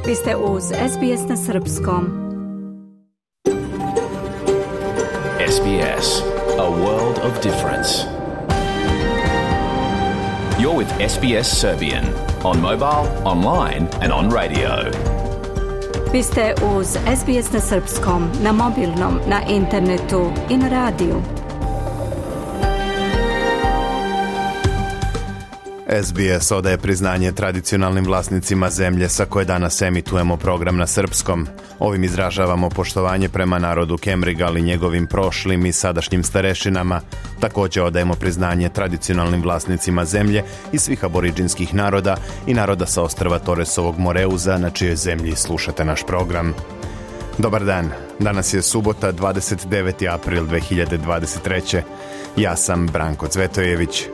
Vi ste uz SBS na Srpskom. SBS, a world of difference. You're with SBS Serbian on mobile, online and on radio. Vi ste uz SBS na Srpskom, na mobilnom, na internetu i na radiju. SBS odaje priznanje tradicionalnim vlasnicima zemlje sa koje danas emitujemo program na srpskom. Ovim izražavamo poštovanje prema narodu Kemrigal i njegovim prošlim i sadašnjim starešinama. Također odajemo priznanje tradicionalnim vlasnicima zemlje i svih aboriđinskih naroda i naroda sa ostrva Toresovog Moreuza na čijoj zemlji slušate naš program. Dobar dan, danas je subota 29. april 2023. Ja sam Branko Cvetojević.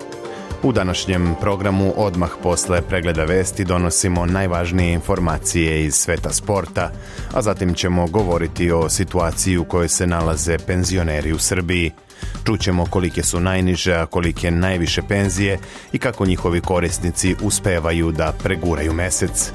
U današnjem programu odmah posle pregleda vesti donosimo najvažnije informacije iz sveta sporta, a zatim ćemo govoriti o situaciji u kojoj se nalaze penzioneri u Srbiji. Čućemo kolike su najniže, a kolike najviše penzije i kako njihovi korisnici uspevaju da preguraju mesec.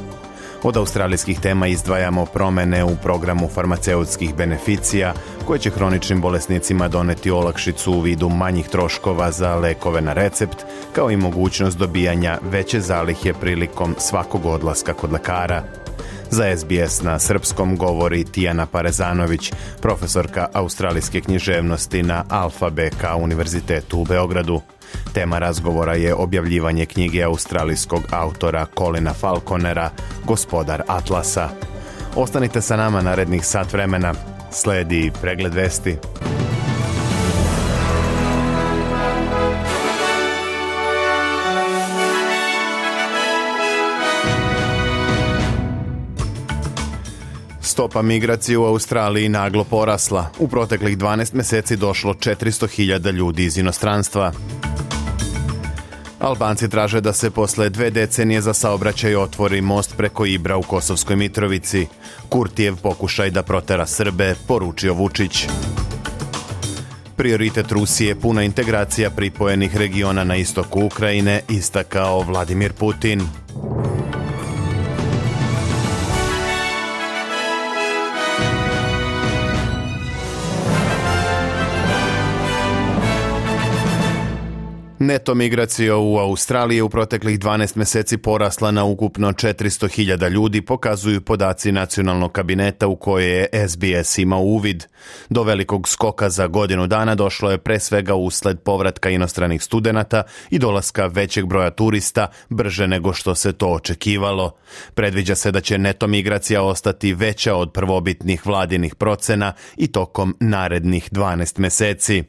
Od australijskih tema izdvajamo promene u programu farmaceutskih beneficija koje će hroničnim bolesnicima doneti olakšicu u vidu manjih troškova za lekove na recept, kao i mogućnost dobijanja veće zalihe prilikom svakog odlaska kod lekara. Za SBS na srpskom govori Tijana Parezanović, profesorka australijske književnosti na Alfa BK Univerzitetu u Beogradu. Tema razgovora je objavljivanje knjige australijskog autora Colina Falconera, Gospodar Atlasa. Ostanite sa nama narednih sat vremena. Sledi pregled vesti. Stopa migracije u Australiji naglo porasla. U proteklih 12 mjeseci došlo 400.000 ljudi iz inostranstva. Albanci traže da se posle 2 decenije za saobraćaj otvori most preko Ibra u Kosovskoj Mitrovici. Kurtijev pokušaj da protera Srbe, poručio Vučić. Prioritet Rusije puna integracija pripojenih regiona na istoku Ukrajine, istakao Vladimir Putin. Neto migracija u Australiji u proteklih 12 mjeseci porasla na ukupno 400.000 ljudi, pokazuju podaci nacionalnog kabineta u koje je SBS imao uvid. Do velikog skoka za godinu dana došlo je pre svega usled povratka inostranih studenata i dolaska većeg broja turista brže nego što se to očekivalo. Predviđa se da će neto migracija ostati veća od prvobitnih vladinih procena i tokom narednih 12 mjeseci.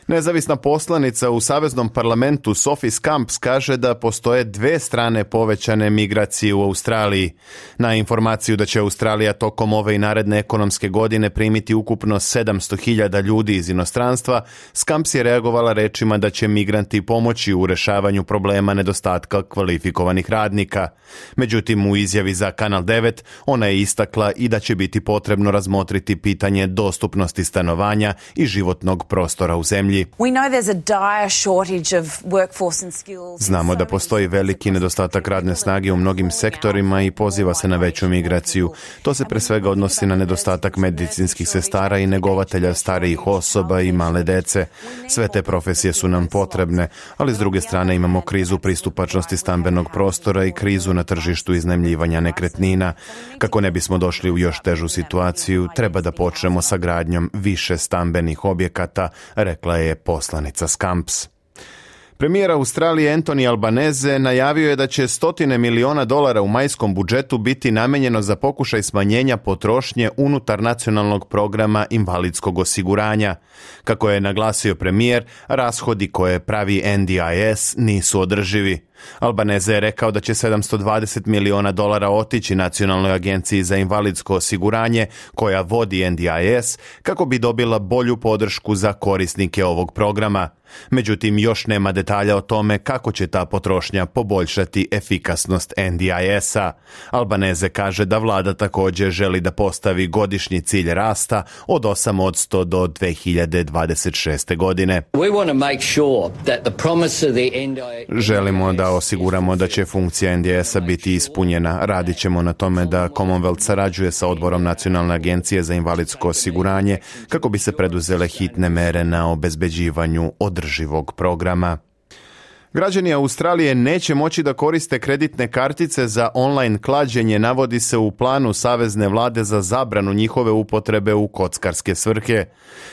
Nezavisna poslanica u Saveznom parlamentu Sophie Scamps kaže da postoje 2 strane povećane migracije u Australiji. Na informaciju da će Australija tokom ove i naredne ekonomske godine primiti ukupno 700.000 ljudi iz inostranstva, Scamps je reagovala rečima da će migranti pomoći u rešavanju problema nedostatka kvalifikovanih radnika. Međutim, u izjavi za Kanal 9 ona je istakla i da će biti potrebno razmotriti pitanje dostupnosti stanovanja i životnog prostora u zemlji. Znamo da postoji veliki nedostatak radne snage u mnogim sektorima i poziva se na veću migraciju. To se pre svega odnosi na nedostatak medicinskih sestara i negovatelja starijih osoba i male dece. Sve te profesije su nam potrebne, ali s druge strane imamo krizu pristupačnosti stambenog prostora i krizu na tržištu iznajmljivanja nekretnina. Kako ne bismo došli u još težu situaciju, treba da počnemo sa gradnjom više stambenih objekata, rekla je poslanica Scamps. Premijer Australije Anthony Albanese najavio je da će $100 miliona u majskom budžetu biti namenjeno za pokušaj smanjenja potrošnje unutar nacionalnog programa invalidskog osiguranja. Kako je naglasio premijer, rashodi koje pravi NDIS nisu održivi. Albanese je rekao da će $720 miliona otići Nacionalnoj agenciji za invalidsko osiguranje koja vodi NDIS kako bi dobila bolju podršku za korisnike ovog programa. Međutim, još nema detalja o tome kako će ta potrošnja poboljšati efikasnost NDIS-a. Albanese kaže da vlada također želi da postavi godišnji cilj rasta od 8% do 2026. godine. We want to make sure that the promise of the NDIS... Želimo da da osiguramo da će funkcija NDS-a biti ispunjena. Radit ćemo na tome da Commonwealth sarađuje sa Odborom Nacionalne agencije za invalidsko osiguranje kako bi se preduzele hitne mere na obezbeđivanju održivog programa. Građani Australije neće moći da koriste kreditne kartice za online klađenje, navodi se u planu Savezne vlade za zabranu njihove upotrebe u kockarske svrhe.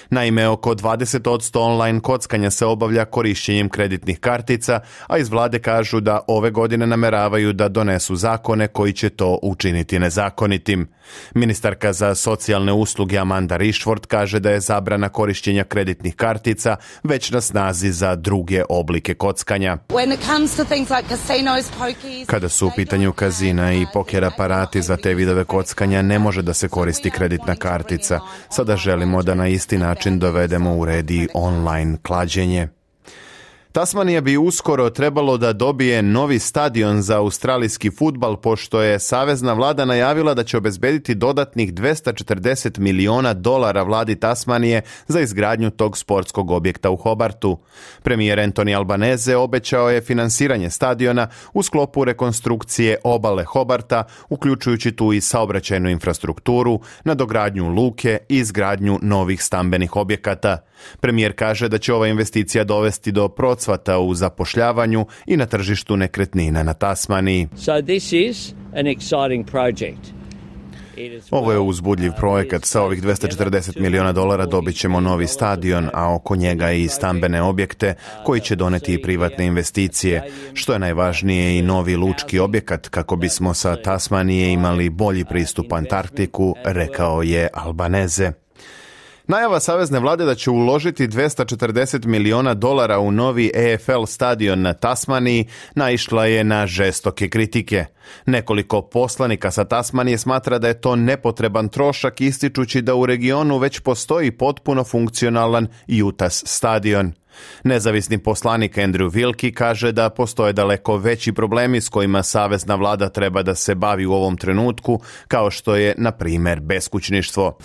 Naime, oko 20% online kockanja se obavlja korišćenjem kreditnih kartica, a iz vlade kažu da ove godine nameravaju da donesu zakone koji će to učiniti nezakonitim. Ministarka za socijalne usluge Amanda Rishford kaže da je zabrana korišćenja kreditnih kartica već na snazi za druge oblike kockanja. Kada su u pitanju kazina i poker aparati za te vidove kockanja, ne može da se koristi kreditna kartica. Sada želimo da na isti način dovedemo u red i online klađenje. Tasmanija bi uskoro trebalo da dobije novi stadion za australijski fudbal, pošto je savezna vlada najavila da će obezbediti dodatnih $240 miliona vladi Tasmanije za izgradnju tog sportskog objekta u Hobartu. Premijer Anthony Albanese obećao je finansiranje stadiona u sklopu rekonstrukcije obale Hobarta, uključujući tu i saobraćajnu infrastrukturu, nadogradnju luke i izgradnju novih stambenih objekata. Premijer kaže da će ova investicija dovesti do procvata u zapošljavanju i na tržištu nekretnina na Tasmaniji. Ovo je uzbudljiv projekat. Sa ovih $240 miliona dobit ćemo novi stadion, a oko njega i stambene objekte koji će doneti i privatne investicije. Što je najvažnije, i novi lučki objekat kako bismo sa Tasmanije imali bolji pristup Antarktiku, rekao je Albanese. Najava savezne vlade da će uložiti $240 miliona u novi EFL stadion na Tasmaniji naišla je na žestoke kritike. Nekoliko poslanika sa Tasmanije smatra da je to nepotreban trošak, ističući da u regionu već postoji potpuno funkcionalan UTAS stadion. Nezavisni poslanik Andrew Wilkie kaže da postoje daleko veći problemi s kojima savezna vlada treba da se bavi u ovom trenutku, kao što je, na primjer, beskućništvo.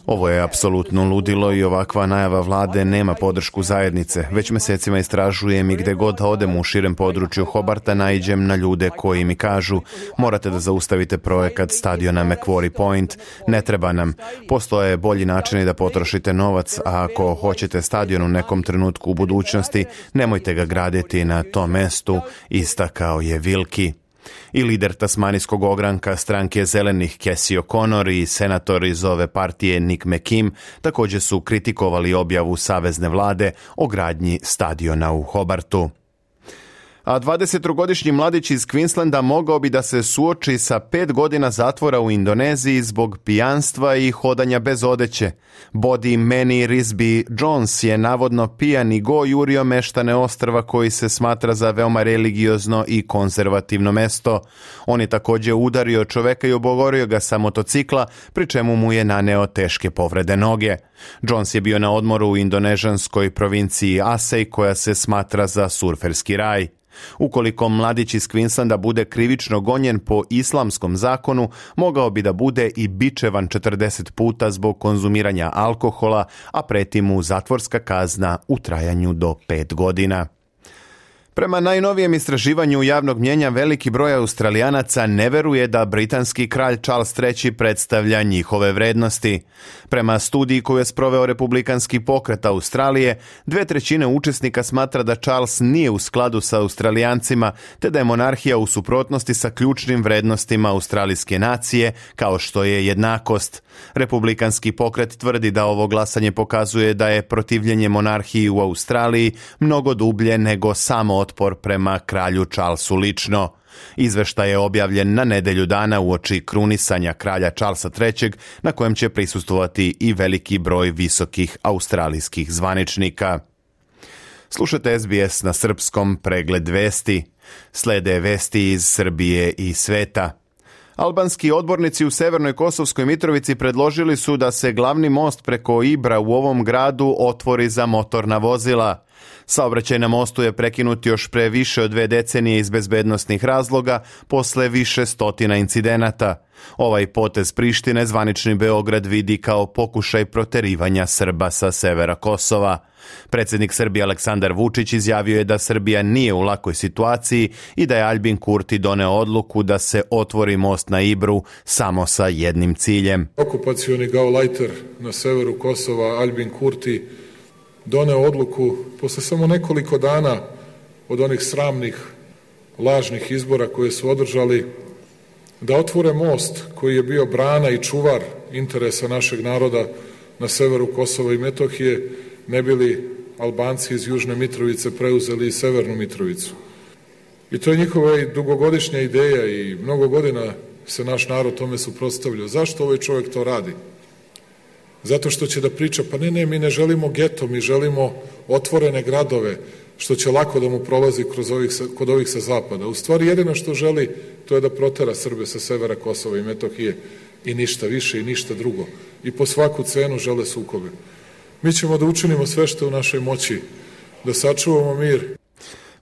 Ovo je apsolutno ludilo i ovakva najava vlade nema podršku zajednice. Već mesecima istražujem i gde god odem u širem području Hobarta naiđem na ljude koji mi kažu: morate da zaustavite projekat stadiona Macquarie Point, ne treba nam. Postoje bolji načini da potrošite novac, a ako hoćete stadion u nekom trenutku u budućnosti, nemojte ga graditi na tom mestu, istakao je Wilkie. I lider tasmanijskog ogranka stranke Zelenih Casey O'Connor i senator iz ove partije Nick McKim također su kritikovali objavu savezne vlade o gradnji stadiona u Hobartu. A 23-godišnji mladić iz Queenslanda mogao bi da se suoči sa 5 godina zatvora u Indoneziji zbog pijanstva i hodanja bez odeće. Body Manny Risby Jones je navodno pijan i go jurio meštane ostrva koji se smatra za veoma religiozno i konzervativno mesto. On je također udario čoveka i obogorio ga sa motocikla, pri čemu mu je naneo teške povrede noge. Jones je bio na odmoru u indonežanskoj provinciji Aceh, koja se smatra za surferski raj. Ukoliko mladić iz Queenslanda bude krivično gonjen po islamskom zakonu, mogao bi da bude i bičevan 40 puta zbog konzumiranja alkohola, a preti mu zatvorska kazna u trajanju do 5 godina. Prema najnovijem istraživanju javnog mnjenja, veliki broj Australijanaca ne veruje da britanski kralj Charles III predstavlja njihove vrednosti. Prema studiji koju je sproveo Republikanski pokret Australije, 2/3 učesnika smatra da Charles nije u skladu sa Australijancima, te da je monarhija u suprotnosti sa ključnim vrednostima australijske nacije, kao što je jednakost. Republikanski pokret tvrdi da ovo glasanje pokazuje da je protivljenje monarhiji u Australiji mnogo dublje nego samo otpor prema kralju Charlesu lično. Izveštaj je objavljen na nedelju dana uoči krunisanja kralja Charlesa III, na kojem će prisustvovati i veliki broj visokih australijskih zvaničnika. Slušate SBS na srpskom, pregled vesti. Slede vesti iz Srbije i sveta. Albanski odbornici u Severnoj Kosovskoj Mitrovici predložili su da se glavni most preko Ibra u ovom gradu otvori za motorna vozila. Saobraćaj na mostu je prekinut još pre više od 2 decenije iz bezbednosnih razloga posle više stotina incidenata. Ovaj potez Prištine zvanični Beograd vidi kao pokušaj proterivanja Srba sa severa Kosova. Predsjednik Srbije Aleksandar Vučić izjavio je da Srbija nije u lakoj situaciji i da je Aljbin Kurti doneo odluku da se otvori most na Ibru samo sa jednim ciljem. Okupacioni gaulajter na severu Kosova Aljbin Kurti doneo odluku posle samo nekoliko dana od onih sramnih, lažnih izbora koje su održali, da otvore most koji je bio brana i čuvar interesa našeg naroda na severu Kosova i Metohije, ne bili Albanci iz Južne Mitrovice preuzeli i Severnu Mitrovicu. I to je njihova dugogodišnja ideja i mnogo godina se naš narod tome suprotstavljao. Zašto ovaj čovjek to radi? Zato što će da priča, pa ne, mi ne želimo geto, mi želimo otvorene gradove, što će lako da mu prolazi kod ovih sa zapada. U stvari jedino što želi, to je da protera Srbe sa severa Kosova i Metohije i ništa više i ništa drugo. I po svaku cenu žele sukobe. Mi ćemo da učinimo sve što je u našoj moći, da sačuvamo mir.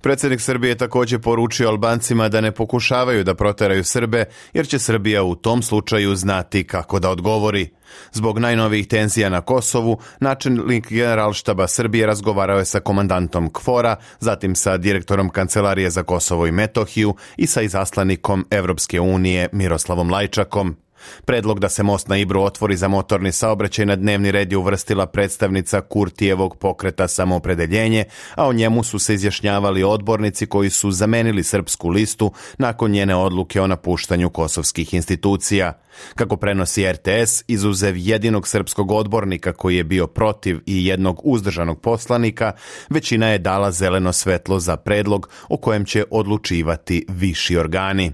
Predsjednik Srbije također poručio Albancima da ne pokušavaju da proteraju Srbe, jer će Srbija u tom slučaju znati kako da odgovori. Zbog najnovijih tenzija na Kosovu, načelnik Generalštaba Srbije razgovarao je sa komandantom KFOR-a, zatim sa direktorom Kancelarije za Kosovo i Metohiju i sa izaslanikom Evropske unije Miroslavom Lajčakom. Predlog da se most na Ibru otvori za motorni saobraćaj na dnevni red je uvrstila predstavnica Kurtijevog pokreta Samoopredeljenje, a o njemu su se izjašnjavali odbornici koji su zamenili srpsku listu nakon njene odluke o napuštanju kosovskih institucija. Kako prenosi RTS, izuzev jedinog srpskog odbornika koji je bio protiv i jednog uzdržanog poslanika, većina je dala zeleno svetlo za predlog o kojem će odlučivati viši organi.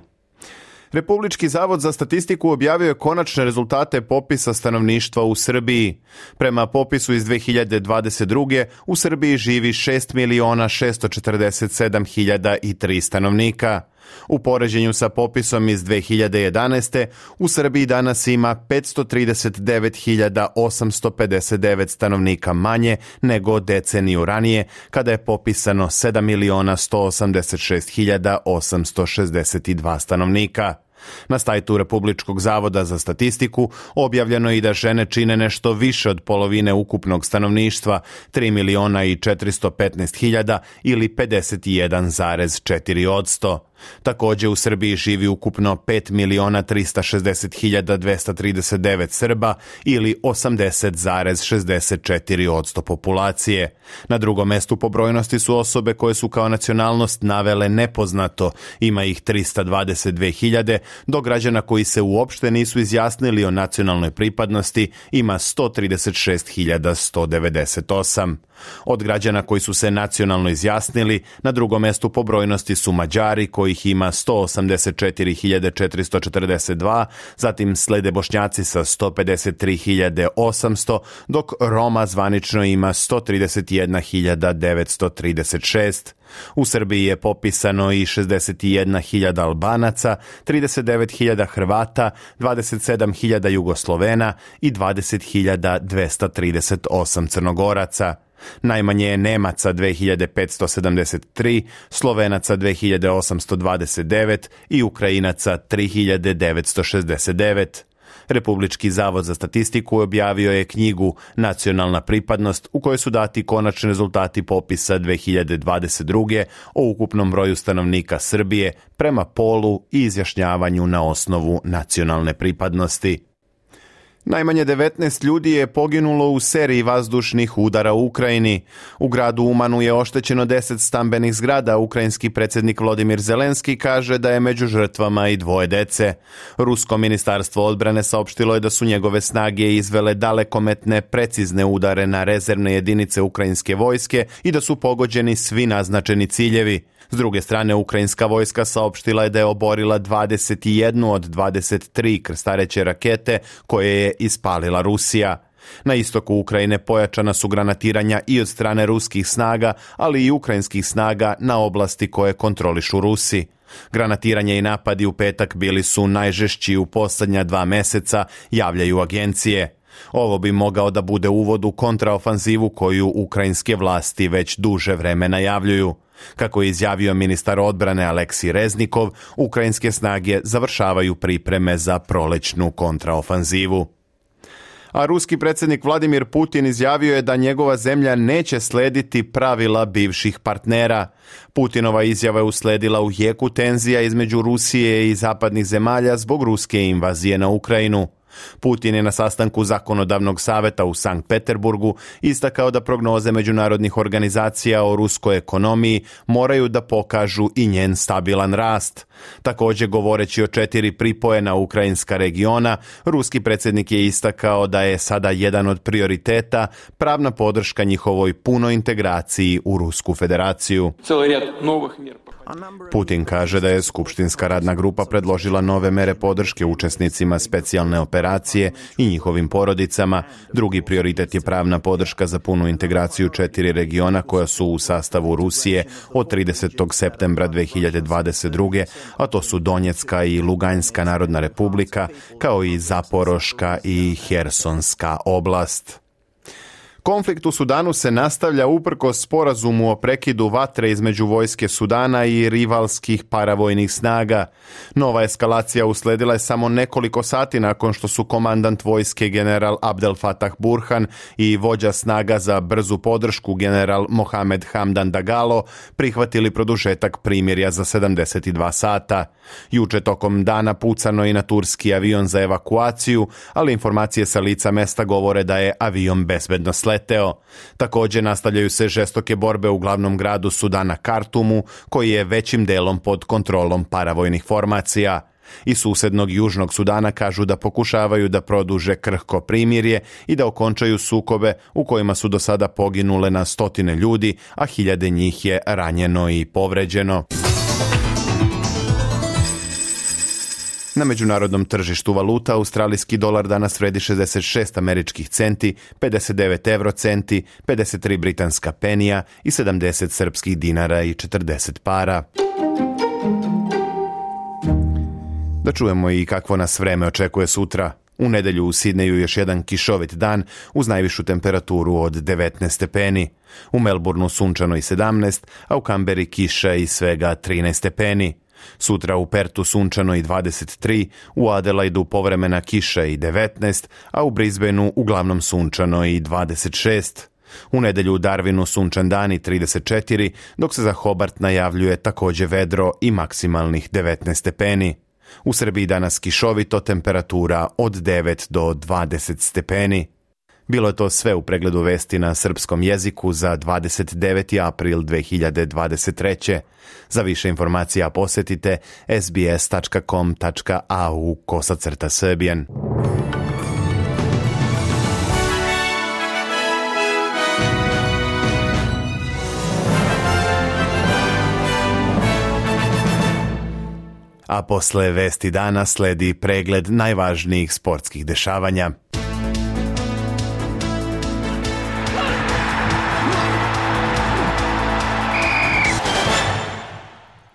Republički zavod za statistiku objavio je konačne rezultate popisa stanovništva u Srbiji. Prema popisu iz 2022. u Srbiji živi 6.647.003 stanovnika. U poređenju sa popisom iz 2011. u Srbiji danas ima 539.859 stanovnika manje nego deceniju ranije, kada je popisano 7.186.862 stanovnika. Na sajtu Republičkog zavoda za statistiku objavljeno je i da žene čine nešto više od polovine ukupnog stanovništva, 3.415.000 ili 51,4%. Također u Srbiji živi ukupno 5.360.239 Srba ili 80,64% populacije. Na drugom mestu po brojnosti su osobe koje su kao nacionalnost navele nepoznato, ima ih 322.000, dok građana koji se uopšte nisu izjasnili o nacionalnoj pripadnosti ima 136.198. Od građana koji su se nacionalno izjasnili, na drugom mestu po brojnosti su Mađari kojih ima 184.442, zatim slede Bošnjaci sa 153.800, dok Roma zvanično ima 131.936. U Srbiji je popisano i 61.000 Albanaca, 39.000 Hrvata, 27.000 Jugoslovena i 20.238 Crnogoraca. Najmanje je Nemaca 2573, Slovenaca 2829 i Ukrajinaca 3969. Republički zavod za statistiku objavio je knjigu Nacionalna pripadnost u kojoj su dati konačni rezultati popisa 2022. o ukupnom broju stanovnika Srbije prema polu i izjašnjavanju na osnovu nacionalne pripadnosti. Najmanje 19 ljudi je poginulo u seriji vazdušnih udara u Ukrajini. U gradu Umanu je oštećeno 10 stambenih zgrada. Ukrajinski predsjednik Volodymyr Zelenski kaže da je među žrtvama i 2 dece. Rusko ministarstvo odbrane saopštilo je da su njegove snage izvele dalekometne, precizne udare na rezervne jedinice ukrajinske vojske i da su pogođeni svi naznačeni ciljevi. S druge strane, ukrajinska vojska saopštila je da je oborila 21 od 23 krstareće rakete koje je ispalila Rusija. Na istoku Ukrajine pojačana su granatiranja i od strane ruskih snaga, ali i ukrajinskih snaga na oblasti koje kontrolišu Rusi. Granatiranje i napadi u petak bili su najžešći u posljednja 2 meseca, javljaju agencije. Ovo bi mogao da bude uvod u kontraofanzivu koju ukrajinske vlasti već duže vreme najavljuju. Kako je izjavio ministar odbrane Aleksij Reznikov, ukrajinske snage završavaju pripreme za prolećnu kontraofanzivu. A ruski predsjednik Vladimir Putin izjavio je da njegova zemlja neće slediti pravila bivših partnera. Putinova izjava je usledila u jeku tenzija između Rusije i zapadnih zemalja zbog ruske invazije na Ukrajinu. Putin je na sastanku Zakonodavnog saveta u Sankt Peterburgu istakao da prognoze međunarodnih organizacija o ruskoj ekonomiji moraju da pokažu i njen stabilan rast. Također, govoreći o 4 pripojena ukrajinska regiona, ruski predsjednik je istakao da je sada jedan od prioriteta pravna podrška njihovoj punoj integraciji u Rusku federaciju. Putin kaže da je skupštinska radna grupa predložila nove mere podrške učesnicima specijalne operacije i njihovim porodicama. Drugi prioritet je pravna podrška za punu integraciju 4 regiona koja su u sastavu Rusije od 30. septembra 2022. a to su Donjecka i Luganjska narodna republika, kao i Zaporoška i Hersonska oblast. Konflikt u Sudanu se nastavlja uprkos sporazumu o prekidu vatre između vojske Sudana i rivalskih paravojnih snaga. Nova eskalacija usledila je samo nekoliko sati nakon što su komandant vojske general Abdel Fattah Burhan i vođa snaga za brzu podršku general Mohamed Hamdan Dagalo prihvatili produžetak primirja za 72 sata. Juče tokom dana pucano i na turski avion za evakuaciju, ali informacije sa lica mesta govore da je avion bezbedno sleteo. Također nastavljaju se žestoke borbe u glavnom gradu Sudana Kartumu, koji je većim delom pod kontrolom paravojnih formacija. Iz susednog Južnog Sudana kažu da pokušavaju da produže krhko primirje i da okončaju sukobe u kojima su do sada poginule na stotine ljudi, a hiljade njih je ranjeno i povređeno. Na međunarodnom tržištu valuta australijski dolar danas vredi 66 američkih centi, 59 eurocenti, 53 britanska penija i 70 srpskih dinara i 40 para. Da čujemo i kakvo nas vreme očekuje sutra. U nedjelju u Sidneju još jedan kišovit dan uz najvišu temperaturu od 19 stepeni. U Melbourneu sunčano i 17, a u Kamberi kiša i svega 13 stepeni. Sutra u Pertu sunčano i 23, u Adelaidu povremena kiša i 19, a u Brisbaneu uglavnom sunčano i 26. U nedjelju u Darwinu sunčan dan i 34, dok se za Hobart najavljuje također vedro i maksimalnih 19 stepeni. U Srbiji danas kišovito, temperatura od 9 do 20 stepeni. Bilo je to sve u pregledu vesti na srpskom jeziku za 29. april 2023. Za više informacija posjetite sbs.com.au/Serbian. A posle vesti dana sledi pregled najvažnijih sportskih dešavanja.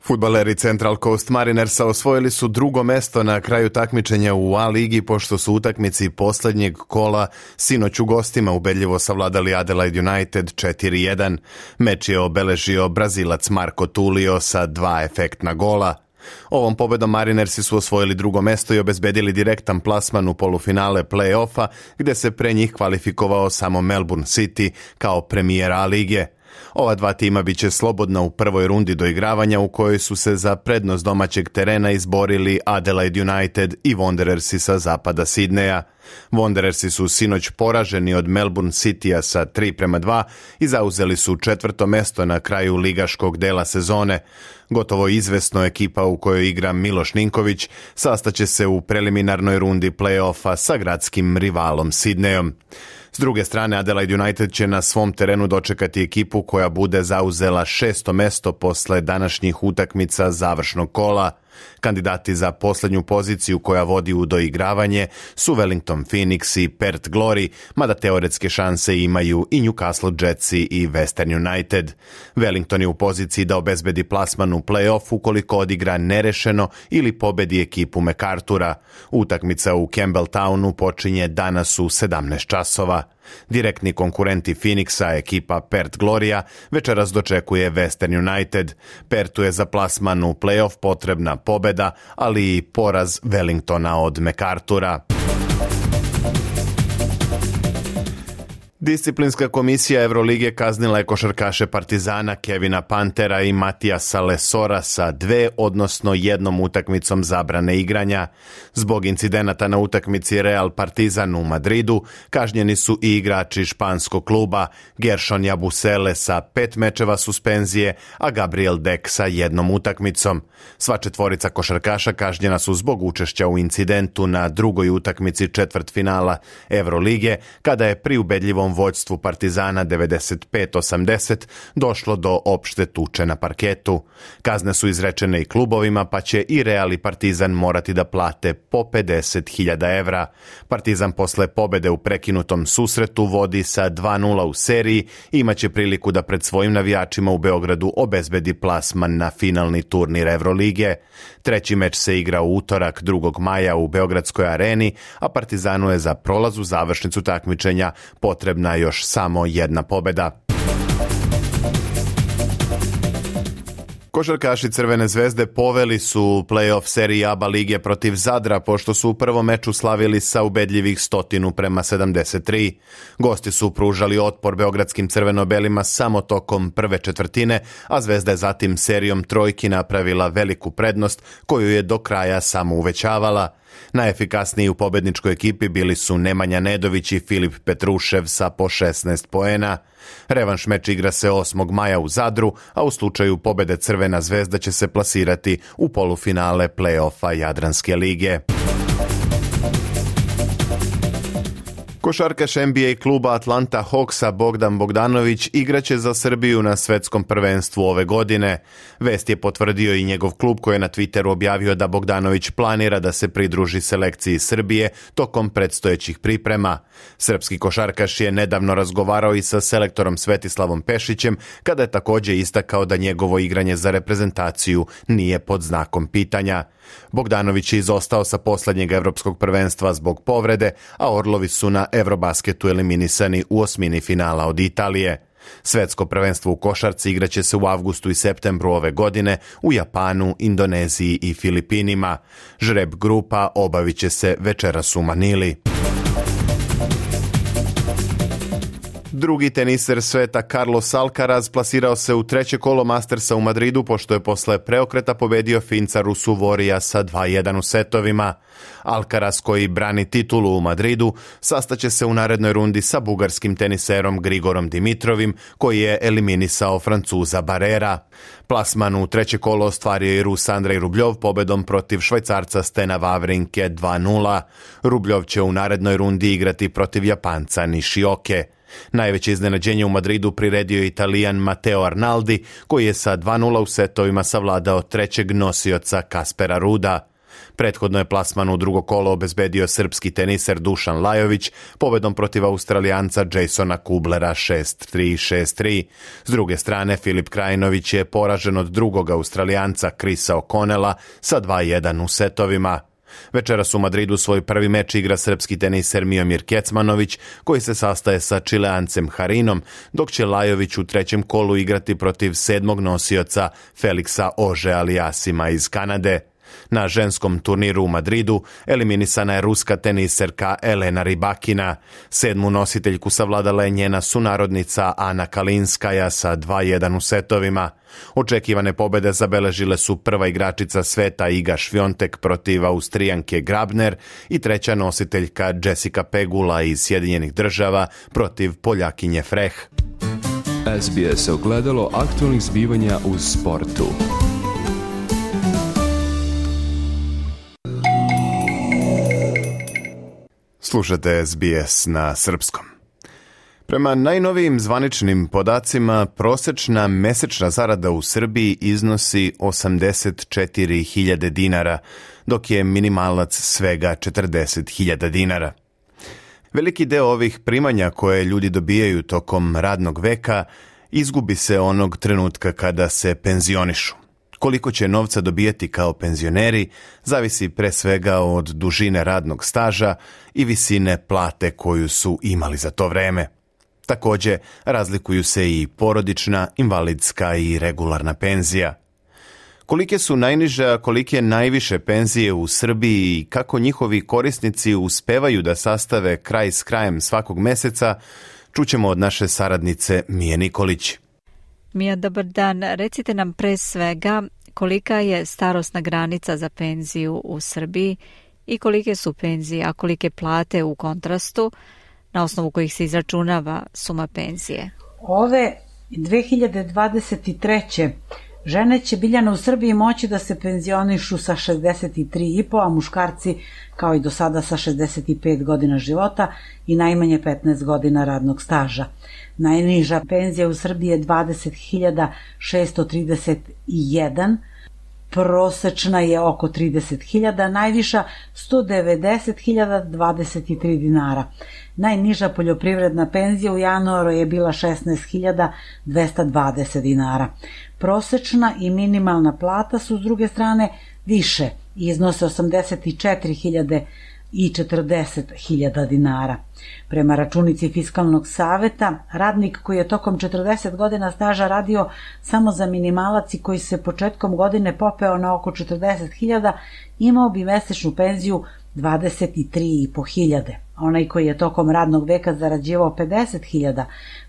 Fudbaleri Central Coast Marinersa osvojili su drugo mesto na kraju takmičenja u A ligi pošto su utakmici posljednjeg kola sinoć u gostima ubedljivo savladali Adelaide United 4-1. Meč je obeležio Brazilac Marco Tulio sa 2 efektna gola. Ovom pobedom Marinersi su osvojili drugo mesto i obezbedili direktan plasman u polufinale play-offa, gdje se pre njih kvalifikovao samo Melbourne City kao premijer A lige. Ova dva tima bit će slobodna u prvoj rundi doigravanja u kojoj su se za prednost domaćeg terena izborili Adelaide United i Wanderersi sa zapada Sidneja. Wanderersi su sinoć poraženi od Melbourne Citya sa 3-2 i zauzeli su 4. mesto na kraju ligaškog dela sezone. Gotovo izvesno ekipa u kojoj igra Miloš Ninković sastaće se u preliminarnoj rundi play-offa sa gradskim rivalom Sidnejom. S druge strane, Adelaide United će na svom terenu dočekati ekipu koja bude zauzela 6. mesto posle današnjih utakmica završnog kola. Kandidati za posljednju poziciju koja vodi u doigravanje su Wellington Phoenix i Perth Glory, mada teoretske šanse imaju i Newcastle Jetsi i Western United. Wellington je u poziciji da obezbedi plasman u play-off ukoliko odigra nerešeno ili pobedi ekipu MacArthura. Utakmica u Campbelltownu počinje danas u 17 časova. Direktni konkurenti Phoenixa, ekipa Perth Gloria, večeras dočekuje Western United. Perthu je za plasman u play-off potrebna pobeda, ali i poraz Wellingtona od MacArthura. Disciplinska komisija Evrolige kaznila je košarkaše Partizana Kevina Pantera i Matijasa Lesora sa 2, odnosno 1 utakmicom zabrane igranja. Zbog incidenata na utakmici Real Partizan u Madridu kažnjeni su i igrači španskog kluba Gershon Yabusele sa 5 mečeva suspenzije, a Gabriel Deck sa 1 utakmicom. Sva 4 košarkaša kažnjena su zbog učešća u incidentu na drugoj utakmici četvrtfinala Evrolige, kada je pri ubedljivom vođstvu Partizana 95-80 došlo do opšte tuče na parketu. Kazne su izrečene i klubovima, pa će i Real i Partizan morati da plate po 50.000 evra. Partizan posle pobede u prekinutom susretu vodi sa 2-0 u seriji i imaće priliku da pred svojim navijačima u Beogradu obezbedi plasman na finalni turnir Evrolige. Treći meč se igra u utorak 2. maja u Beogradskoj areni, a Partizanu je za prolaz u završnicu takmičenja potrebna još samo 1 pobeda. Košarkaši Crvene zvezde poveli su play-off seriji ABA lige protiv Zadra, pošto su u prvom meču slavili sa ubedljivih 100-73. Gosti su pružali otpor beogradskim crveno-belima samo tokom prve četvrtine, a Zvezda je zatim serijom trojki napravila veliku prednost koju je do kraja samo uvećavala. Najefikasniji u pobedničkoj ekipi bili su Nemanja Nedović i Filip Petrušev sa po 16 poena. Revanš meč igra se 8. maja u Zadru, a u slučaju pobede Crvena zvezda će se plasirati u polufinale play-offa Jadranske lige. Košarkaš NBA kluba Atlanta Hawksa Bogdan Bogdanović igraće za Srbiju na svetskom prvenstvu ove godine. Vest je potvrdio i njegov klub koji je na Twitteru objavio da Bogdanović planira da se pridruži selekciji Srbije tokom predstojećih priprema. Srpski košarkaš je nedavno razgovarao i sa selektorom Svetislavom Pešićem, kada je također istakao da njegovo igranje za reprezentaciju nije pod znakom pitanja. Bogdanović je izostao sa posljednjeg evropskog prvenstva zbog povrede, a Orlovi su na Eurobasketu eliminisani u osmini finala od Italije. Svetsko prvenstvo u košarci igraće se u avgustu i septembru ove godine u Japanu, Indoneziji i Filipinima. Žreb grupa obavit će se večeras u Manili. Drugi teniser sveta Carlos Alcaraz plasirao se u treće kolo Mastersa u Madridu, pošto je posle preokreta pobedio Finca Rusuvorija sa 2-1 u setovima. Alcaraz, koji brani titulu u Madridu, sastaće se u narednoj rundi sa bugarskim teniserom Grigorom Dimitrovim, koji je eliminisao Francuza Barrera. Plasman u treće kolo ostvario i Rus Andrej Rubljov pobedom protiv Švajcarca Stena Wawrinke 2-0. Rubljov će u narednoj rundi igrati protiv Japanca Nishioke. Najveće iznenađenje u Madridu priredio Italijan Matteo Arnaldi, koji je sa 2-0 u setovima savladao trećeg nosioca Kaspera Ruda. Prethodno je plasman u drugo kolo obezbedio srpski teniser Dušan Lajović pobedom protiv Australijanca Jasona Kublera 6-3, 6-3. S druge strane, Filip Krajinović je poražen od drugog Australijanca Chrisa O'Connella sa 2-1 u setovima. Večeras u Madridu svoj prvi meč igra srpski teniser Miomir Kecmanović, koji se sastaje sa Čileancem Harinom, dok će Lajović u trećem kolu igrati protiv sedmog nosioca Feliksa Ože-Aliasima iz Kanade. Na ženskom turniru u Madridu eliminisana je ruska teniserka Elena Rybakina. Sedmu nositeljku savladala je njena sunarodnica Ana Kalinskaja sa 2-1 u setovima. Očekivane pobede zabeležile su prva igračica sveta Iga Švjontek protiv Austrijanke Grabner i treća nositeljka Jessica Pegula iz Sjedinjenih Država protiv Poljakinje Freh. SBS ogledalo aktualnih zbivanja u sportu. Slušate SBS na srpskom. Prema najnovijim zvaničnim podacima, prosečna mesečna zarada u Srbiji iznosi 84.000 dinara, dok je minimalac svega 40.000 dinara. Veliki deo ovih primanja koje ljudi dobijaju tokom radnog veka izgubi se onog trenutka kada se penzionišu. Koliko će novca dobijati kao penzioneri zavisi pre svega od dužine radnog staža i visine plate koju su imali za to vreme. Takođe, razlikuju se i porodična, invalidska i regularna penzija. Kolike su najniže, a kolike najviše penzije u Srbiji i kako njihovi korisnici uspevaju da sastave kraj s krajem svakog meseca, čućemo od naše saradnice Mije Nikolić. Mija, dobar dan. Recite nam pre svega kolika je starosna granica za penziju u Srbiji i kolike su penzije, a kolike plate u kontrastu, na osnovu kojih se izračunava suma penzije. Ove 2023. žene će Biljana u Srbiji moći da se penzionišu sa 63,5, a muškarci kao i do sada sa 65 godina života i najmanje 15 godina radnog staža. Najniža penzija u Srbiji je 20.631, prosečna je oko 30.000, najviša 190.023 dinara. Najniža poljoprivredna penzija u januaru je bila 16.220 dinara. Prosečna i minimalna plata su s druge strane više i iznose 84.000 i 40.000 dinara. Prema računici Fiskalnog saveta, radnik koji je tokom 40 godina staža radio samo za minimalac i koji se početkom godine popeo na oko 40.000, imao bi mesečnu penziju 23.500. Onaj koji je tokom radnog veka zarađivao 50.000,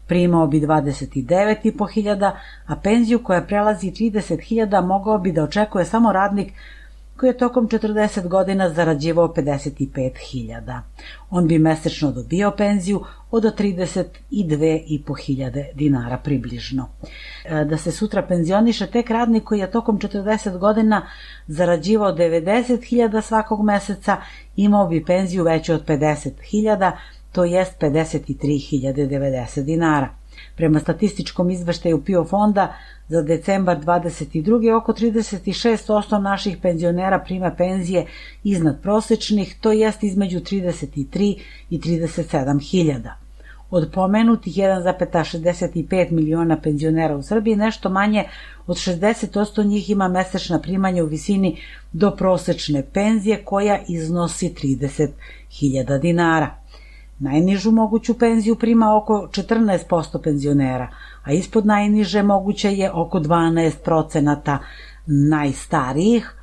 primao bi 29.500, a penziju koja prelazi 30.000 mogao bi da očekuje samo radnik koji je tokom 40 godina zarađivao 55.000. On bi mesečno dobio penziju od 32.500 dinara približno. Da se sutra penzioniše tek radnik koji je tokom 40 godina zarađivao 90.000 svakog meseca, imao bi penziju veću od 50.000, to jest 53.090 dinara. Prema statističkom izveštaju PIO fonda za decembar 22. oko 36% naših penzionera prima penzije iznad prosečnih, to jest između 33 i 37 hiljada. Od pomenutih 1,65 miliona penzionera u Srbiji, nešto manje od 60% njih ima mesečna primanja u visini do prosečne penzije koja iznosi 30.000 dinara. Najnižu moguću penziju prima oko 14% penzionera, a ispod najniže moguće je oko 12% najstarijih.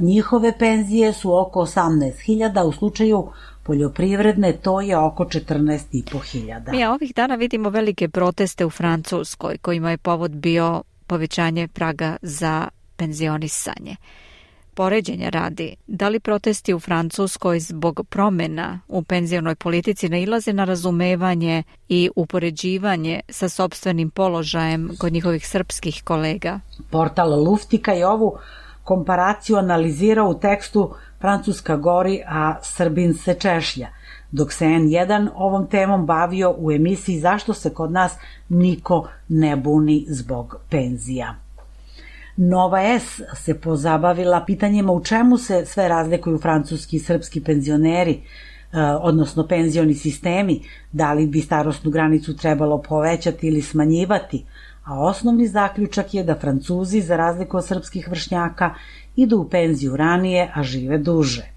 Njihove penzije su oko 18.000, u slučaju poljoprivredne to je oko 14.500. Mi ovih dana vidimo velike proteste u Francuskoj kojima je povod bio povećanje praga za penzionisanje. Poređenja radi, da li protesti u Francuskoj zbog promjena u penzionoj politici nailaze na razumevanje i upoređivanje sa sopstvenim položajem kod njihovih srpskih kolega? Portal Luftika je ovu komparaciju analizirao u tekstu Francuska gori, a Srbin se češlja, dok se N1 ovom temom bavio u emisiji Zašto se kod nas niko ne buni zbog penzija. Nova S se pozabavila pitanjima u čemu se sve razlikuju francuski i srpski penzioneri, odnosno penzioni sistemi, da li bi starosnu granicu trebalo povećati ili smanjivati, a osnovni zaključak je da Francuzi, za razliku od srpskih vršnjaka, idu u penziju ranije, a žive duže.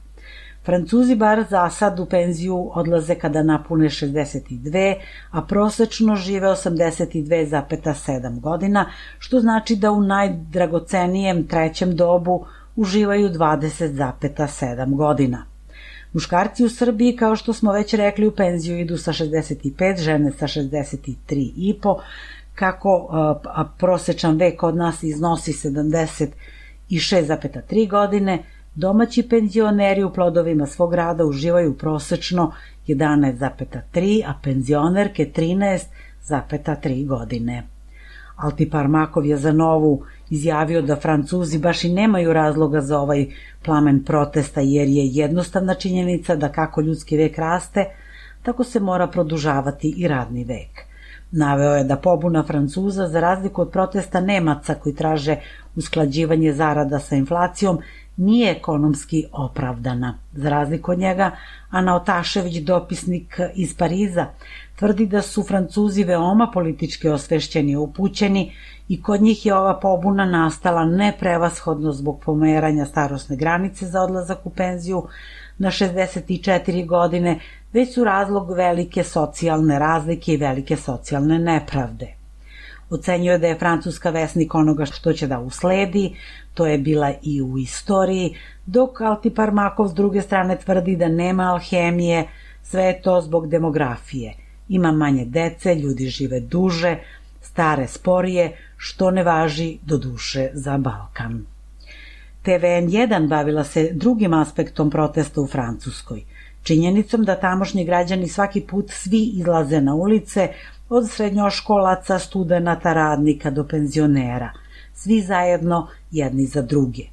Francuzi bar za sad u penziju odlaze kada napune 62, a prosečno žive 82,7 godina, što znači da u najdragocenijem trećem dobu uživaju 20,7 godina. Muškarci u Srbiji, kao što smo već rekli, u penziju idu sa 65, žene sa 63,5, kako prosečan vek od nas iznosi 76,3 godine, domaći penzioneri u plodovima svog rada uživaju prosečno 11,3, a penzionerke 13,3 godine. Altipar Makov je za Novu izjavio da Francuzi baš i nemaju razloga za ovaj plamen protesta, jer je jednostavna činjenica da kako ljudski vek raste, tako se mora produžavati i radni vek. Naveo je da pobuna Francuza, za razliku od protesta Nemaca koji traže usklađivanje zarada sa inflacijom, nije ekonomski opravdana. Za razliku od njega, Ana Otašević, dopisnik iz Pariza, tvrdi da su Francuzi veoma politički osvešćeni i upućeni i kod njih je ova pobuna nastala ne prevashodno zbog pomeranja starosne granice za odlazak u penziju na 64 godine, već su razlog velike socijalne razlike i velike socijalne nepravde. Ocenjuje da je Francuska vesnik onoga što će da usledi, to je bila i u istoriji, dok Altiparmakov s druge strane tvrdi da nema alhemije, sve je to zbog demografije. Ima manje dece, ljudi žive duže, stare sporije, što ne važi do duše za Balkan. TVN1 bavila se drugim aspektom protesta u Francuskoj, činjenicom da tamošnji građani svaki put svi izlaze na ulice, od srednjoškolaca, studenata, radnika do penzionera, svi zajedno jedni za druge.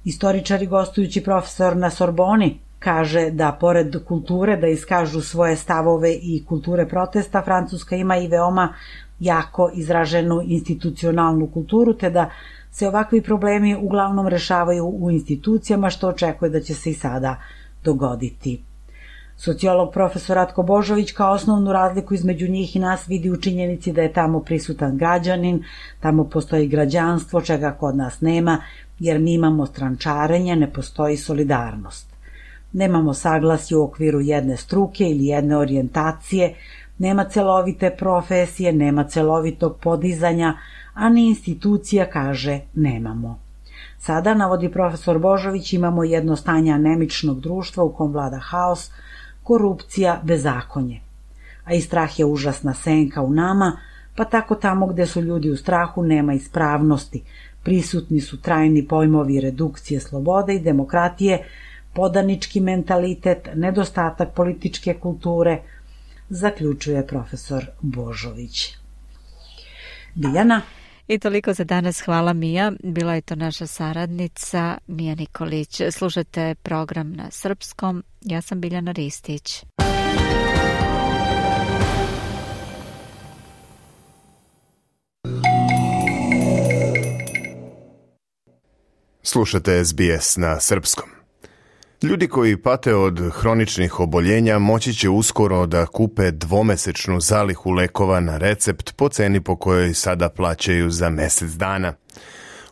Istoričar i gostujući profesor na Sorboni kaže da pored kulture da iskažu svoje stavove i kulture protesta, Francuska ima i veoma jako izraženu institucionalnu kulturu, te da se ovakvi problemi uglavnom rešavaju u institucijama, što očekuje da će se i sada dogoditi. Sociolog profesor Ratko Božović kao osnovnu razliku između njih i nas vidi u činjenici da je tamo prisutan građanin, tamo postoji građanstvo, čega kod nas nema, jer mi imamo strančarenje, ne postoji solidarnost. Nemamo saglasje u okviru jedne struke ili jedne orijentacije, nema celovite profesije, nema celovitog podizanja, a ni institucija, kaže, nemamo. Sada, navodi profesor Božović, imamo jedno stanje anemičnog društva u kom vlada haos, korupcija, bezakonje. A i strah je užasna senka u nama, pa tako tamo gde su ljudi u strahu nema ispravnosti. Prisutni su trajni pojmovi redukcije slobode i demokratije, podanički mentalitet, nedostatak političke kulture, zaključuje profesor Božović. Biljana. I toliko za danas. Hvala, Mija. Bila je to naša saradnica Mija Nikolić. Slušate program na srpskom. Ja sam Biljana Ristić. Slušate SBS na srpskom. Ljudi koji pate od hroničnih oboljenja moći će uskoro da kupe dvomesečnu zalihu lekova na recept po ceni po kojoj sada plaćaju za mesec dana.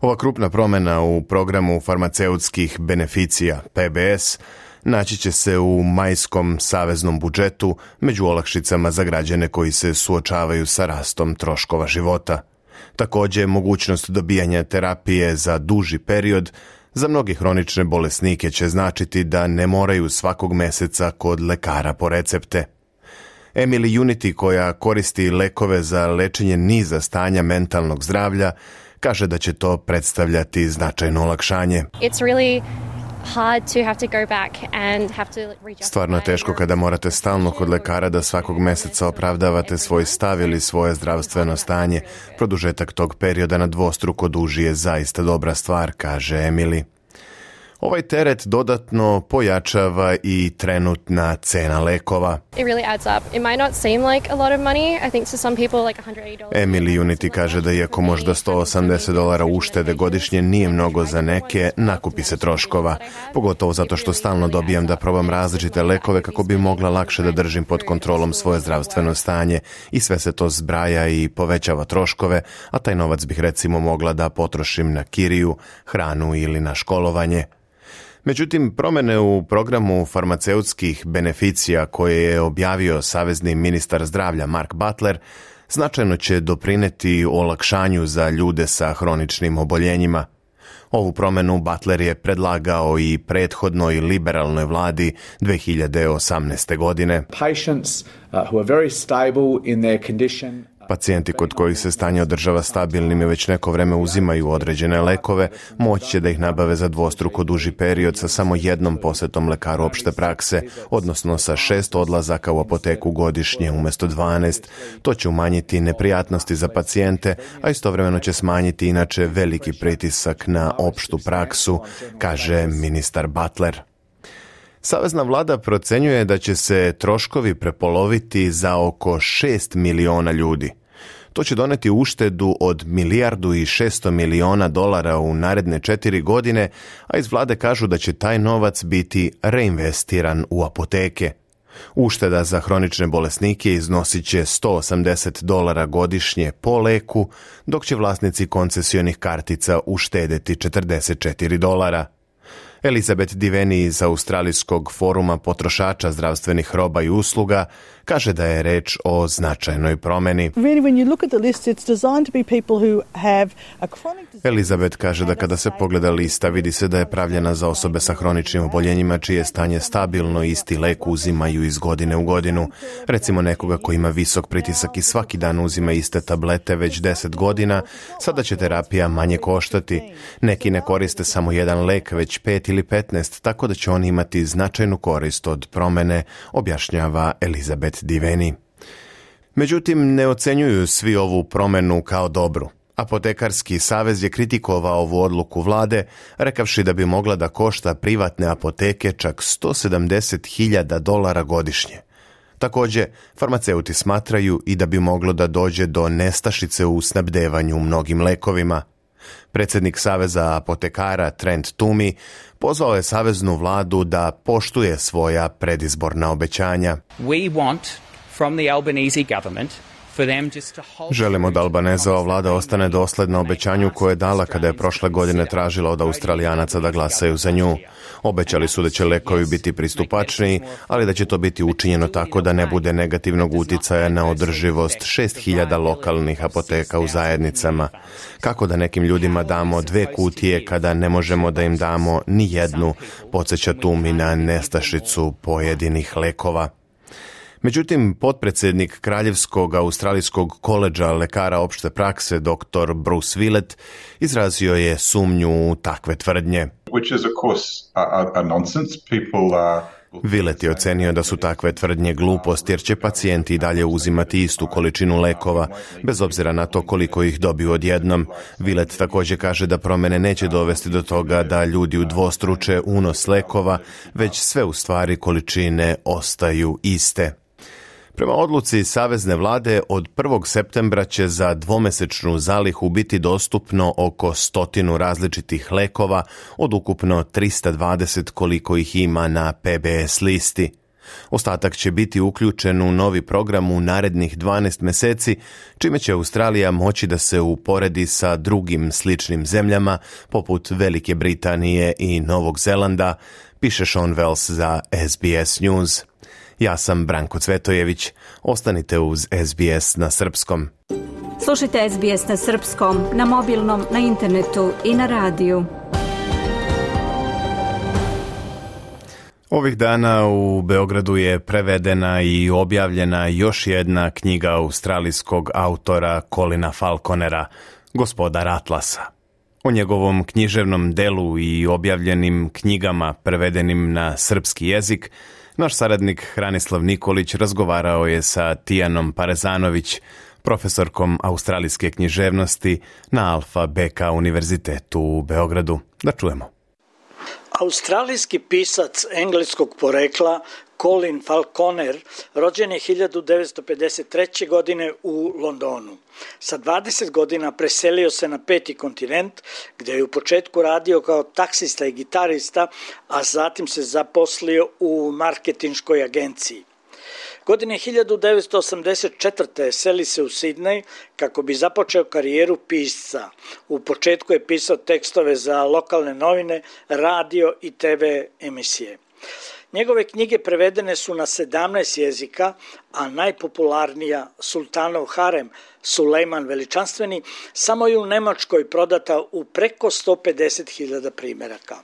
Ova krupna promena u programu farmaceutskih beneficija PBS naći će se u majskom saveznom budžetu među olakšicama za građane koji se suočavaju sa rastom troškova života. Također, mogućnost dobijanja terapije za duži period za mnogi hronične bolesnike će značiti da ne moraju svakog meseca kod lekara po recepte. Emily Unity, koja koristi lekove za lečenje niza stanja mentalnog zdravlja, kaže da će to predstavljati značajno olakšanje. Stvarno je teško kada morate stalno kod lekara da svakog meseca opravdavate svoj stav ili svoje zdravstveno stanje. Produžetak tog perioda na dvostruko duži je zaista dobra stvar, kaže Emily. Ovaj teret dodatno pojačava i trenutna cena lekova. Emily Unity kaže da iako možda $180 uštede godišnje nije mnogo za neke, nakupi se troškova. Pogotovo zato što stalno dobijam da probam različite lekove kako bi mogla lakše da držim pod kontrolom svoje zdravstveno stanje i sve se to zbraja i povećava troškove, a taj novac bih recimo mogla da potrošim na kiriju, hranu ili na školovanje. Međutim, promene u programu farmaceutskih beneficija koje je objavio savezni ministar zdravlja Mark Butler značajno će doprineti olakšanju za ljude sa hroničnim oboljenjima. Ovu promenu Butler je predlagao i prethodnoj liberalnoj vladi 2018. godine. Pacijenti kod kojih se stanje održava stabilnim i već neko vreme uzimaju određene lekove, moći će da ih nabave za dvostruko duži period sa samo jednom posetom lekaru opšte prakse, odnosno sa 6 odlazaka u apoteku godišnje umjesto 12. To će umanjiti neprijatnosti za pacijente, a istovremeno će smanjiti inače veliki pritisak na opštu praksu, kaže ministar Butler. Savezna vlada procenjuje da će se troškovi prepoloviti za oko 6 miliona ljudi. To će doneti uštedu od $1,6 milijardi u naredne 4 godine, a iz vlade kažu da će taj novac biti reinvestiran u apoteke. Ušteda za hronične bolesnike iznosit će $180 godišnje po leku, dok će vlasnici koncesionih kartica uštedeti $44. Elizabeth Diveni iz Australijskog foruma potrošača zdravstvenih roba i usluga kaže da je reč o značajnoj promeni. Elizabeth kaže da kada se pogleda lista vidi se da je pravljena za osobe sa hroničnim oboljenjima čije stanje stabilno i isti lek uzimaju iz godine u godinu. Recimo nekoga koji ima visok pritisak i svaki dan uzima iste tablete već 10 godina, sada će terapija manje koštati. Neki ne koriste samo jedan lek, već 5 ili 15, tako da će oni imati značajnu korist od promene, objašnjava Elizabeth Diveni. Međutim, ne ocenjuju svi ovu promenu kao dobru. Apotekarski savez je kritikovao ovu odluku vlade, rekavši da bi mogla da košta privatne apoteke čak $170.000 godišnje. Također, farmaceuti smatraju i da bi moglo da dođe do nestašice u snabdevanju mnogim lekovima. Predsjednik Saveza apotekara Trent Toomey pozvao je saveznu vladu da poštuje svoja predizborna obećanja. Želimo da Albanezova vlada ostane dosledna obećanju koje je dala kada je prošle godine tražila od Australijanaca da glasaju za nju. Obećali su da će lekovi biti pristupačniji, ali da će to biti učinjeno tako da ne bude negativnog uticaja na održivost 6.000 lokalnih apoteka u zajednicama. Kako da nekim ljudima damo 2 kutije kada ne možemo da im damo ni jednu, podsjeća Toomey na nestašicu pojedinih lekova. Međutim, potpredsjednik Kraljevskog australijskog koledža lekara opšte prakse dr. Bruce Willett izrazio je sumnju u takve tvrdnje. Which is of course a nonsense. Willett je ocenio da su takve tvrdnje glupost jer će pacijenti i dalje uzimati istu količinu lekova, bez obzira na to koliko ih dobiju odjednom. Willett također kaže da promjene neće dovesti do toga da ljudi udvostruče unos lekova, već sve u stvari količine ostaju iste. Prema odluci savezne vlade, od 1. septembra će za dvomesečnu zalihu biti dostupno oko 100 različitih lekova od ukupno 320 koliko ih ima na PBS listi. Ostatak će biti uključen u novi program u narednih 12 mjeseci, čime će Australija moći da se uporedi sa drugim sličnim zemljama, poput Velike Britanije i Novog Zelanda, piše Sean Wells za SBS News. Ja sam Branko Cvetojević. Ostanite uz SBS na srpskom. Slušajte SBS na srpskom, na mobilnom, na internetu i na radiju. Ovih dana u Beogradu je prevedena i objavljena još jedna knjiga australijskog autora Colina Falconera, Gospodar Atlasa. O njegovom književnom delu i objavljenim knjigama prevedenim na srpski jezik naš saradnik Hranislav Nikolić razgovarao je sa Tijanom Parezanović, profesorkom australijske književnosti na Alfa Beka univerzitetu u Beogradu. Da čujemo. Australijski pisac engleskog porekla Colin Falconer rođen je 1953. godine u Londonu. Sa 20 godina preselio se na 5. kontinent, gdje je u početku radio kao taksista i gitarista, a zatim se zaposlio u marketinškoj agenciji. Godine 1984. seli se u Sidnej kako bi započeo karijeru pisca. U početku je pisao tekstove za lokalne novine, radio i TV emisije. Njegove knjige prevedene su na 17 jezika, a najpopularnija Sultanov harem, Sulejman Veličanstveni, samo je u Nemačkoj prodata u preko 150.000 primjeraka.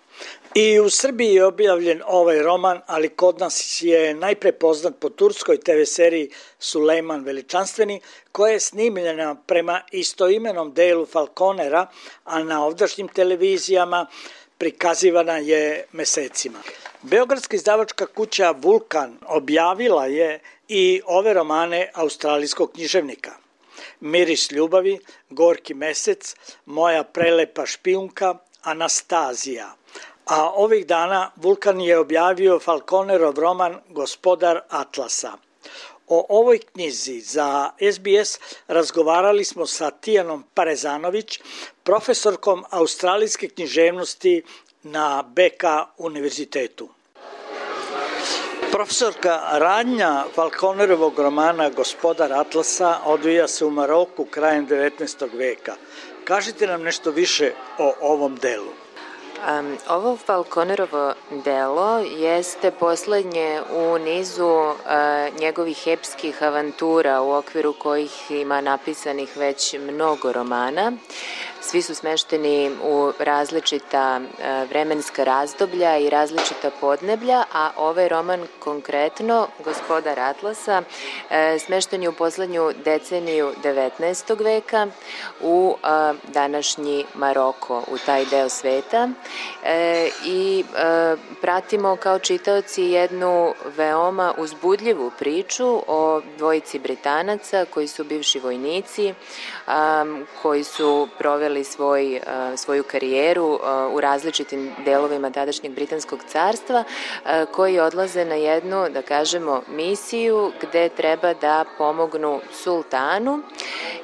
I u Srbiji je objavljen ovaj roman, ali kod nas je najpre poznat po turskoj TV seriji Sulejman Veličanstveni, koja je snimljena prema istoimenom delu Falconera, a na ovdašnjim televizijama prikazivana je mesecima. Beogradska izdavačka kuća Vulkan objavila je i ove romane australijskog književnika. Miris ljubavi, Gorki mesec, Moja prelepa špijunka, Anastazija. A ovih dana Vulkan je objavio Falconerov roman Gospodar Atlasa. O ovoj knjizi za SBS razgovarali smo sa Tijanom Parezanović, profesorkom australijske književnosti na BK univerzitetu. Profesorka, radnja Falconerovog romana Gospodar Atlasa odvija se u Maroku krajem 19. veka. Kažite nam nešto više o ovom delu. Ovo Falconerovo delo jeste poslednje u nizu njegovih epskih avantura u okviru kojih ima napisanih već mnogo romana. Svi su smešteni u različita vremenska razdoblja i različita podneblja, a ovaj roman konkretno, Gospodar Atlasa, smešten je u poslednju deceniju 19. veka u današnji Maroko, u taj deo sveta. I pratimo kao čitaoci jednu veoma uzbudljivu priču o dvojici Britanaca koji su bivši vojnici, koji su proveli svoju karijeru u različitim delovima tadašnjeg Britanskog carstva, koji odlaze na jednu, da kažemo, misiju gde treba da pomognu sultanu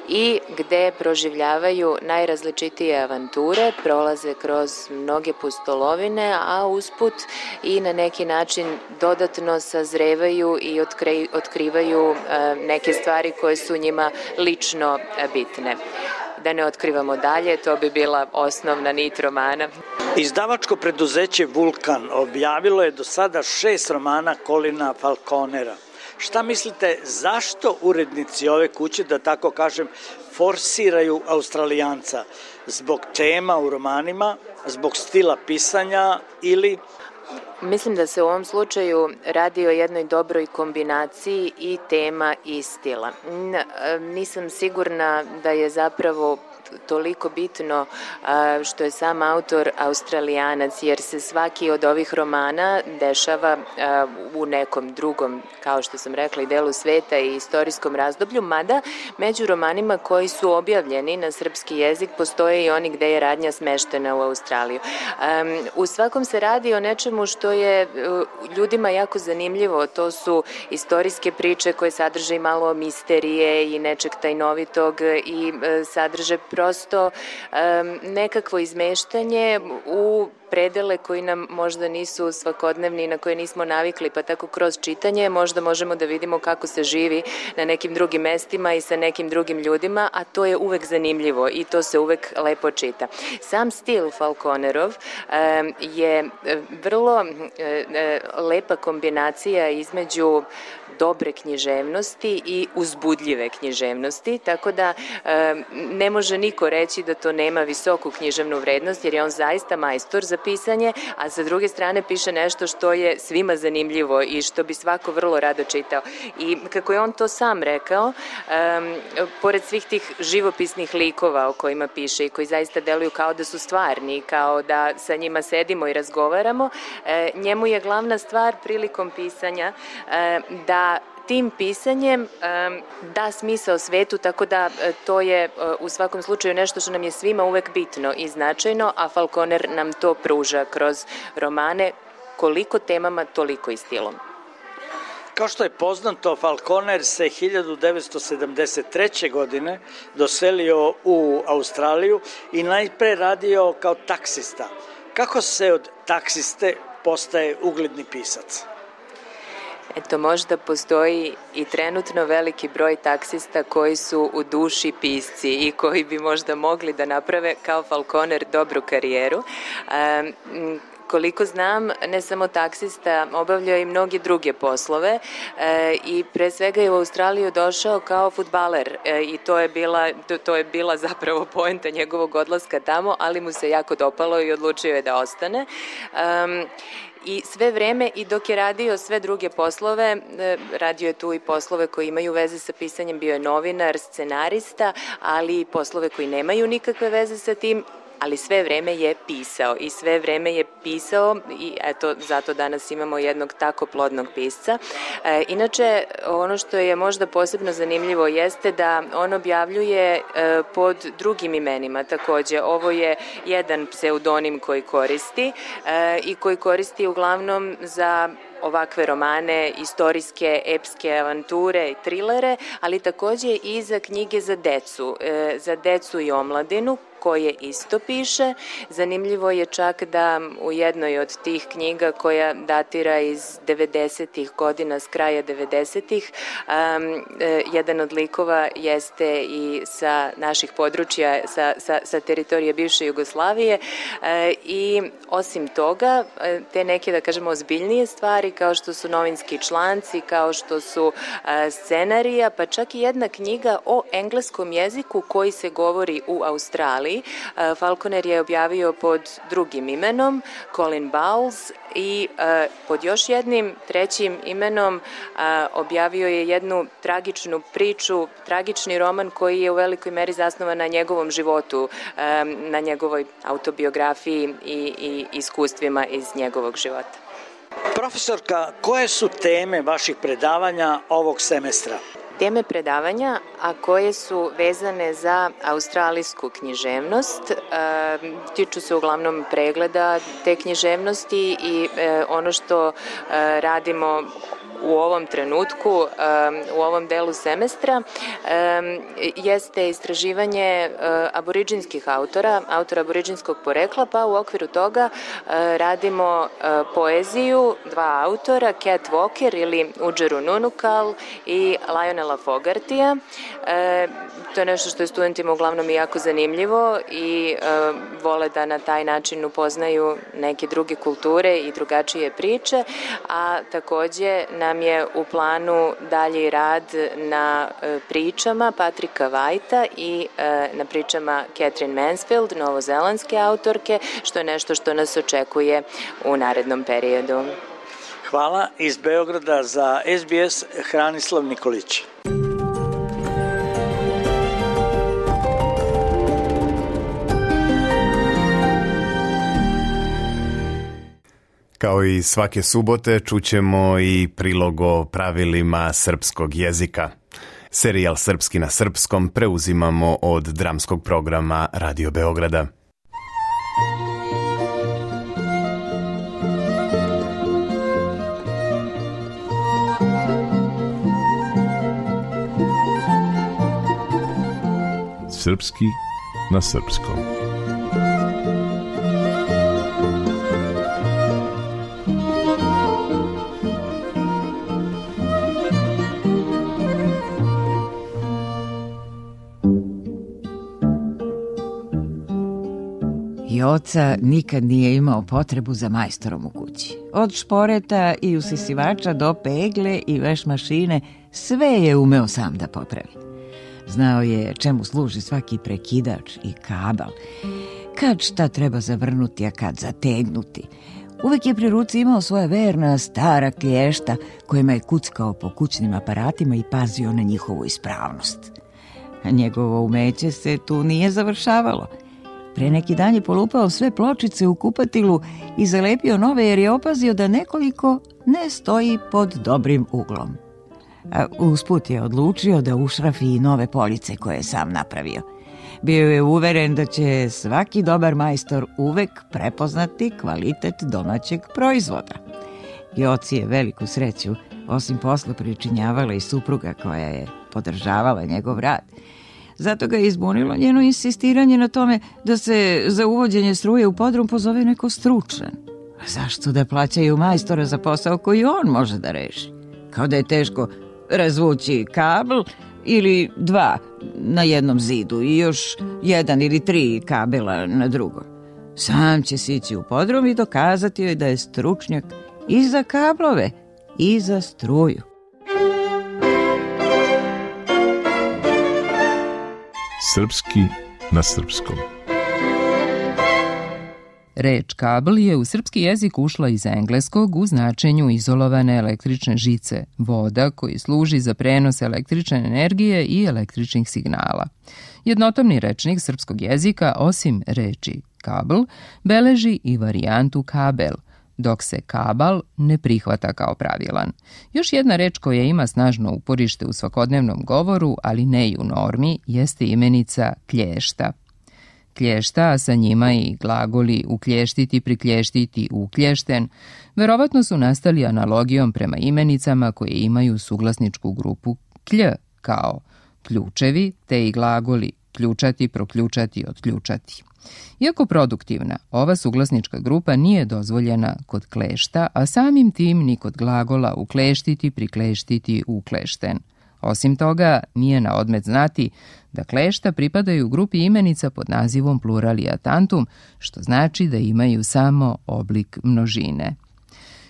i gde proživljavaju najrazličitije avanture, prolaze kroz mnoge pustolovine, a usput i na neki način dodatno sazrevaju i otkrivaju neke stvari koje su njima lično bitne. Da ne otkrivamo dalje, to bi bila osnovna nit romana. Izdavačko preduzeće Vulkan objavilo je do sada 6 romana Colina Falconera. Šta mislite, zašto urednici ove kuće, da tako kažem, forsiraju Australijanca? Zbog tema u romanima, zbog stila pisanja ili... Mislim da se u ovom slučaju radi o jednoj dobroj kombinaciji i tema i stila. Nisam sigurna da je zapravo toliko bitno što je sam autor Australijanac, jer se svaki od ovih romana dešava u nekom drugom, kao što sam rekla, i delu sveta i istorijskom razdoblju, mada među romanima koji su objavljeni na srpski jezik postoje i oni gde je radnja smeštena u Australiju. U svakom se radi o nečemu što je ljudima jako zanimljivo. To su istorijske priče koje sadrže i malo misterije i nečeg tajnovitog i sadrže prosto nekakvo izmeštanje u predele koji nam možda nisu svakodnevni, na koje nismo navikli, pa tako kroz čitanje možda možemo da vidimo kako se živi na nekim drugim mestima i sa nekim drugim ljudima, a to je uvek zanimljivo i to se uvek lepo čita. Sam stil Falconerov je vrlo lepa kombinacija između dobre književnosti i uzbudljive književnosti, tako da ne može niko reći da to nema visoku književnu vrednost, jer je on zaista majstor za pisanje, a sa druge strane piše nešto što je svima zanimljivo i što bi svako vrlo rado čitao. I kako je on to sam rekao, pored svih tih živopisnih likova o kojima piše i koji zaista deluju kao da su stvarni, kao da sa njima sedimo i razgovaramo, njemu je glavna stvar prilikom pisanja da tim pisanjem da smisao svetu, tako da to je u svakom slučaju nešto što nam je svima uvek bitno i značajno, a Falconer nam to pruža kroz romane, koliko temama, toliko i stilom. Kao što je poznato, Falconer se 1973. godine doselio u Australiju i najpre radio kao taksista. Kako se od taksiste postaje ugledni pisac? Eto, možda postoji i trenutno veliki broj taksista koji su u duši pisci i koji bi možda mogli da naprave kao Falconer dobru karijeru. Koliko znam, ne samo taksista, obavljao i mnoge druge poslove i pre svega je u Australiju došao kao fudbaler i to je bila zapravo poenta njegovog odlaska tamo, ali mu se jako dopalo i odlučio je da ostane. I sve vreme i dok je radio sve druge poslove, radio je tu i poslove koji imaju veze sa pisanjem, bio je novinar, scenarista, ali i poslove koji nemaju nikakve veze sa tim, ali sve vreme je pisao i sve vreme je pisao i eto, zato danas imamo jednog tako plodnog pisca. Inače, ono što je možda posebno zanimljivo jeste da on objavljuje pod drugim imenima takođe. Ovo je jedan pseudonim koji koristi i koji koristi uglavnom za ovakve romane, istorijske, epske avanture i trilere, ali takođe i za knjige za decu i omladinu, koje isto piše. Zanimljivo je čak da u jednoj od tih knjiga koja datira iz 90-ih godina, s kraja 90-ih, jedan od likova jeste i sa naših područja, sa teritorije bivše Jugoslavije i osim toga, te neke, da kažemo, ozbiljnije stvari kao što su novinski članci, kao što su scenarija, pa čak i jedna knjiga o engleskom jeziku koji se govori u Australiji. Falconer je objavio pod drugim imenom, Colin Bowles, i pod još jednim trećim imenom objavio je jednu tragičnu priču, tragični roman koji je u velikoj meri zasnovan na njegovom životu, na njegovoj autobiografiji i iskustvima iz njegovog života. Profesorka, koje su teme vaših predavanja ovog semestra? Teme predavanja, a koje su vezane za australijsku književnost, tiču se uglavnom pregleda te književnosti i ono što radimo u ovom trenutku, u ovom delu semestra, jeste istraživanje aboriđinskih autora aboriđinskog porekla, pa u okviru toga radimo poeziju dva autora, Cat Walker ili Udžeru Nunukal i Lionela Fogartija. To je nešto što je studentima uglavnom i jako zanimljivo i vole da na taj način upoznaju neke druge kulture i drugačije priče, a takođe nam je u planu dalji rad na pričama Patrika Whitea i na pričama Catherine Mansfield, novozelandske autorke, što je nešto što nas očekuje u narednom periodu. Hvala. Iz Beograda za SBS Hranislav Nikolić. Kao i svake subote čućemo i prilog o pravilima srpskog jezika. Serijal Srpski na srpskom preuzimamo od dramskog programa Radio Beograda. Srpski na srpskom. Joca nikad nije imao potrebu za majstorom u kući. Od šporeta i usisivača do pegle i veš mašine, sve je umeo sam da popravi. Znao je čemu služi svaki prekidač i kabel, kad šta treba zavrnuti, a kad zategnuti. Uvek je pri ruci imao svoja verna stara klješta kojima je kuckao po kućnim aparatima i pazio na njihovu ispravnost. A njegovo umeće se tu nije završavalo. Pre neki dan je polupao sve pločice u kupatilu i zalepio nove jer je opazio da nekoliko ne stoji pod dobrim uglom. A usput je odlučio da ušrafi i nove police koje je sam napravio. Bio je uveren da će svaki dobar majstor uvek prepoznati kvalitet domaćeg proizvoda. Joci je veliku sreću, osim posla, pričinjavala i supruga koja je podržavala njegov rad. Zato ga je izbunilo njeno insistiranje na tome da se za uvođenje struje u podrum pozove neko stručan. Zašto da plaćaju majstora za posao koji on može da reši? Kao da je teško razvući kabl ili dva na jednom zidu i još jedan ili tri kabela na drugom. Sam će sići u podrum i dokazati joj da je stručnjak i za kablove i za struju. Srpski na srpskom. Reč kabel je u srpski jezik ušla iz engleskog u značenju izolovane električne žice, voda koji služi za prenos električne energije i električnih signala. Jednotomni rečnik srpskog jezika, osim reči kabl, beleži i varijantu kabel, dok se kabal ne prihvata kao pravilan. Još jedna reč koja ima snažno uporište u svakodnevnom govoru, ali ne i u normi, jeste imenica klješta. Klješta, a sa njima i glagoli uklještiti, priklještiti, uklješten, verovatno su nastali analogijom prema imenicama koje imaju suglasničku grupu klj, kao ključevi, te i glagoli ključati, proključati, otključati. Iako produktivna, ova suglasnička grupa nije dozvoljena kod klešta, a samim tim ni kod glagola ukleštiti, prikleštiti, uklešten. Osim toga, nije na odmet znati da klešta pripadaju grupi imenica pod nazivom pluralia tantum, što znači da imaju samo oblik množine.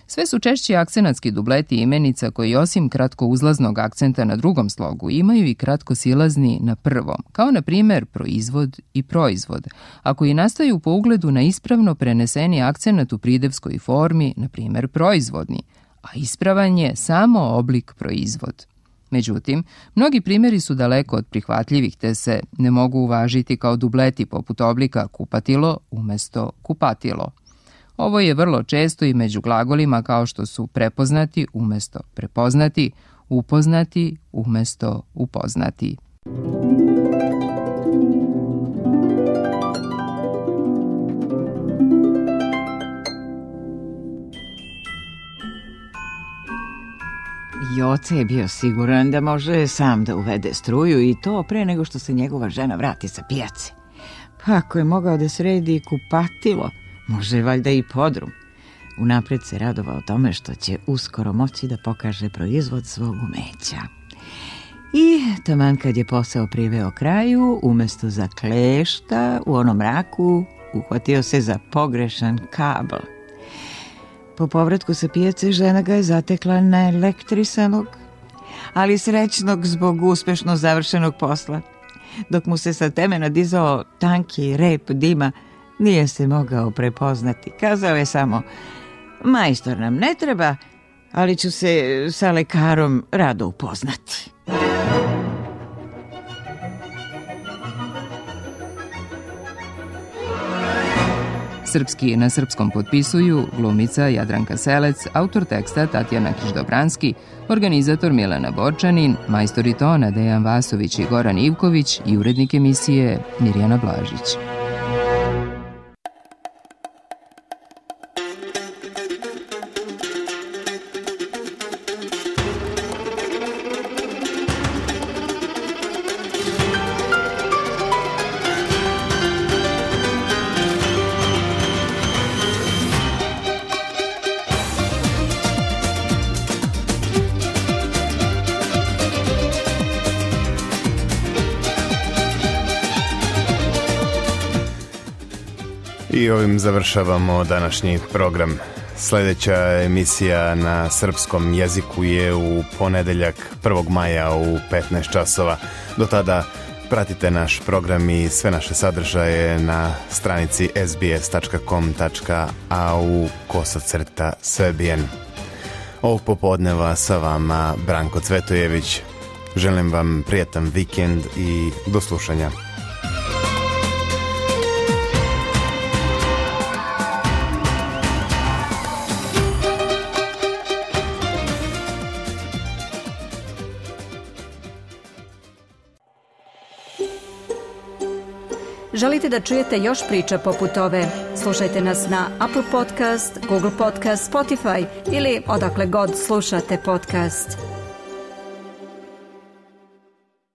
Sve su češći akcenatski dubleti imenica koji osim kratkouzlaznog akcenta na drugom slogu imaju i kratkosilazni na prvom, kao na primjer proizvod i proizvod, a koji nastaju po ugledu na ispravno preneseni akcenat u pridevskoj formi, na primjer proizvodni, a ispravan je samo oblik proizvod. Međutim, mnogi primjeri su daleko od prihvatljivih, te se ne mogu uvažiti kao dubleti poput oblika kupatilo umjesto kupatilo. Ovo je vrlo često i među glagolima kao što su prepoznati umjesto prepoznati, upoznati umjesto upoznati. Joce je bio siguran da može sam da uvede struju i to pre nego što se njegova žena vrati sa pijace. Pa ako je mogao da sredi kupatilo, može valjda i podrum. Unapred se radovao tome što će uskoro moći da pokaže proizvod svog umeća. I taman kad je posao priveo kraju, umjesto za klešta u onom mraku, uhvatio se za pogrešan kabl. Po povratku sa pijace žena ga je zatekla naelektrisanog, ali srećnog zbog uspešno završenog posla. Dok mu se sa temena dizao tanki rep dima, nije se mogao prepoznati. Kazao je samo: majstor nam ne treba, ali ću se sa lekarom rado upoznati. Srpski na srpskom potpisuju glumica Jadranka Selec, autor teksta Tatjana Kiš-Dobranski, organizator Milena Borčanin, majstori tona Dejan Vasović i Goran Ivković i urednik emisije Mirjana Blažić. I ovim završavamo današnji program. Sljedeća emisija na srpskom jeziku je u ponedeljak 1. maja u 15 časova. Do tada pratite naš program i sve naše sadržaje na stranici sbs.com.au/Srbijen. Ovog popodneva sa vama Branko Cvetojević. Želim vam prijatan vikend i do slušanja. Želite da čujete još priča poput ove? Slušajte nas na Apple Podcast, Google Podcast, Spotify ili odakle god slušate podcast.